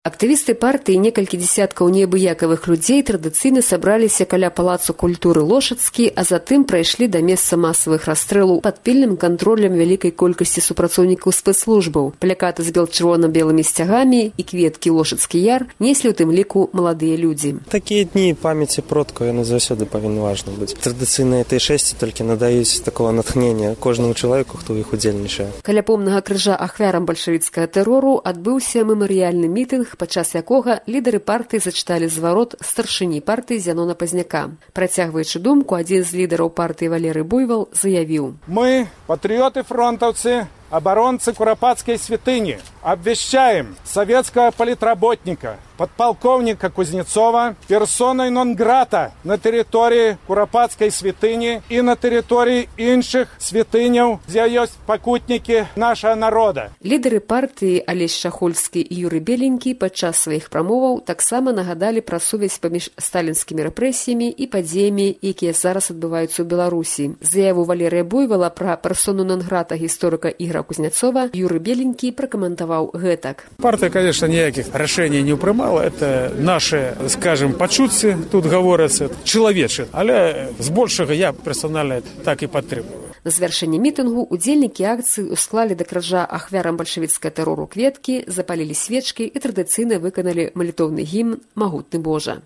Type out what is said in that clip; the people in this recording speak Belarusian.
Актывісты партыі і некалькі дзесяткаў неабыякавых людзей традыцыйна сабраліся каля палацу культуры Лошадскі, а затым прайшлі да месца масавых расстрэлаў пад пільным кантролем вялікай колькасці супрацоўнікаў спецслужбаў. Плакаты з бел-чырвона-белымі сцягамі і кветкі Лошадскі яр неслі ў тым ліку маладыя людзі. Такія дні памяці продкаў яны заўсёды павінны важны быць. Традыцыйныя Т6 толькі надаюць такого натхнення кожнаму чалавеку, хто ў іх удзельнічае. Каля помнага крыжа ахвярам бальшавіцкага тэрору адбыўся мемарыяльны мітынг, падчас якога лідары партыі зачыталі зварот старшыні партыі Зянона Пазняка. Працягваючы думку, адзін з лідараў партыі Валерый Буйвал заявіў: «Мы, патрыёты-фронтаўцы, оборонцы Куропатской святыни, обвещаем советского политработника, подполковника Кузнецова, персоной нон-грата на территории Куропатской святыни и на территории іншых святыняў, где есть покутники нашего народа». Лідары партыі Алесь Шахольскі і Юрый Беленькі падчас сваіх прамоваў таксама нагадалі пра сувязь паміж сталінскімі рэпрэсіямі і падзеямі, якія зараз адбываюцца ў Беларусі. Заяву Валерыя Буйвала пра персону нон-грата гісторыка Ігора Кузнецова Юрый Беленькі пракаментаваў гэтак. Партия, конечно, никаких решений не принимала. Это наши, скажем, почутцы, тут говорится, человече. Але збольшага я персонально так и подтримую. На завяршэнне мітынгу удзельнікі акцыі усклалі да крыжа ахвярам бальшавіцкага тэрору кветкі, запалілі свечкі і традыцыйна выканалі малітоўны гімн «Магутны Божа».